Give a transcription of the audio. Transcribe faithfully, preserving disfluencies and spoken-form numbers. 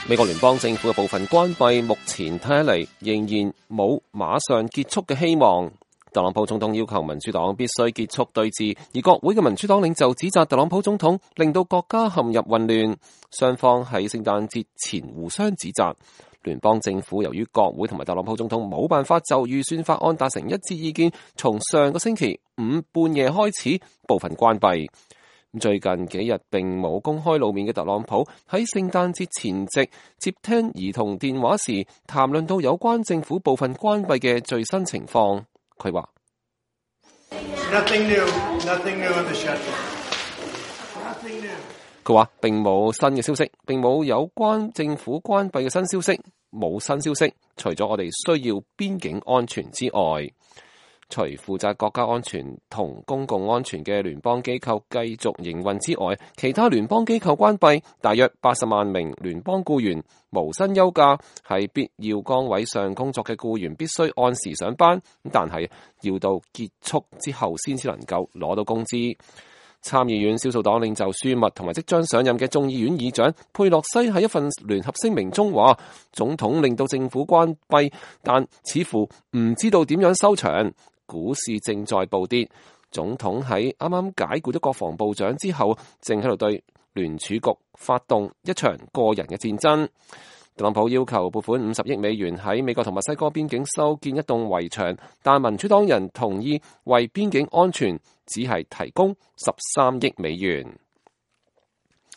美國聯邦政府嘅部分關閉，目前睇起嚟仍然冇馬上結束嘅希望。特朗普總統要求民主黨必須結束對峙，而國會嘅民主黨領袖指責特朗普總統令到國家陷入混亂，雙方喺聖誕節前互相指責。聯邦政府由於國會同埋特朗普總統冇辦法就預算法案達成一致意見，從上個星期五半夜開始部分關閉。最近幾日並冇公開露面嘅特朗普喺聖誕節前夕接聽兒童電話時，談論到有關政府部分關閉嘅最新情況。佢話：佢話並冇新嘅消息，並冇有關政府關閉嘅新消息，冇新消息，除咗我哋需要邊境安全之外。除負責國家安全同公共安全嘅聯邦機構繼續營運之外，其他聯邦機構關閉，大約八十萬名聯邦僱員無薪休假，喺必要崗位上工作嘅僱員必須按時上班，但係要到結束之後先至能夠攞到工資。參議院少數黨領袖舒默同埋即將上任嘅眾議院議長佩洛西喺一份聯合聲明中話，總統令到政府關閉，但似乎唔知道點樣收場。股市正在暴跌，總統喺啱啱解僱咗國防部長之後，正喺度對聯儲局發動一場個人嘅戰爭。特朗普要求撥款五十億美元喺美國同墨西哥邊境修建一棟圍牆，但民主黨人同意為邊境安全只係提供十三億美元。